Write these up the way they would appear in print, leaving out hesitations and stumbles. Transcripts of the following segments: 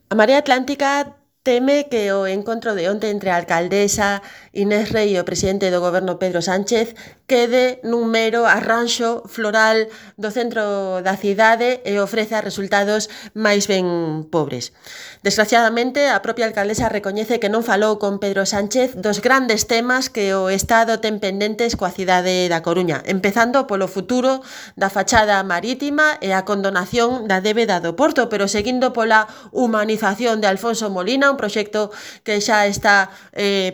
A Marea Atlántica teme que o encontro de onte entre a alcaldesa Inés Rei e o presidente do goberno Pedro Sánchez quede nun mero arranxo floral do centro da cidade e ofreza resultados máis ben pobres. Desgraciadamente, a propia alcaldesa recoñece que non falou con Pedro Sánchez dos grandes temas que o Estado ten pendentes coa cidade da Coruña, empezando polo futuro da fachada marítima e a condonación da débeda do Porto, pero seguindo pola humanización de Alfonso Molina, un proxecto que xa está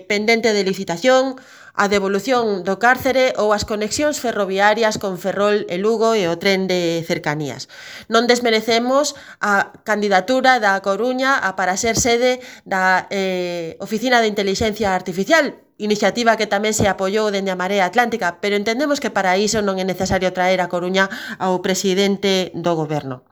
pendente de licitación, a devolución do cárcere ou as conexións ferroviarias con Ferrol e Lugo e o tren de cercanías. Non desmerecemos a candidatura da Coruña para ser sede da Oficina de Intelixencia Artificial, iniciativa que tamén se apoiou dende a Marea Atlántica, pero entendemos que para iso non é necesario traer a Coruña ao presidente do goberno.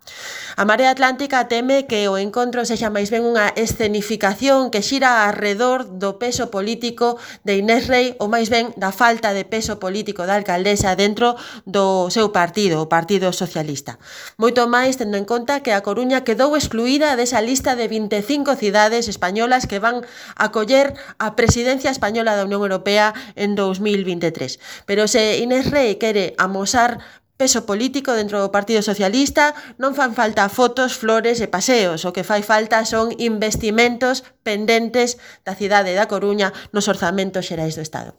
A Marea Atlántica teme que o encontro sexa máis ben unha escenificación que xira arredor do peso político de Inés Rei ou máis ben da falta de peso político da alcaldesa dentro do seu partido, o Partido Socialista. Moito máis tendo en conta que a Coruña quedou excluída desa lista de 25 cidades españolas que van acoller a presidencia española da Unión Europea en 2023. Pero se Inés Rei quere amosar peso político dentro do Partido Socialista, non fan falta fotos, flores e paseos. O que fai falta son investimentos pendentes da cidade da Coruña nos orzamentos xerais do Estado.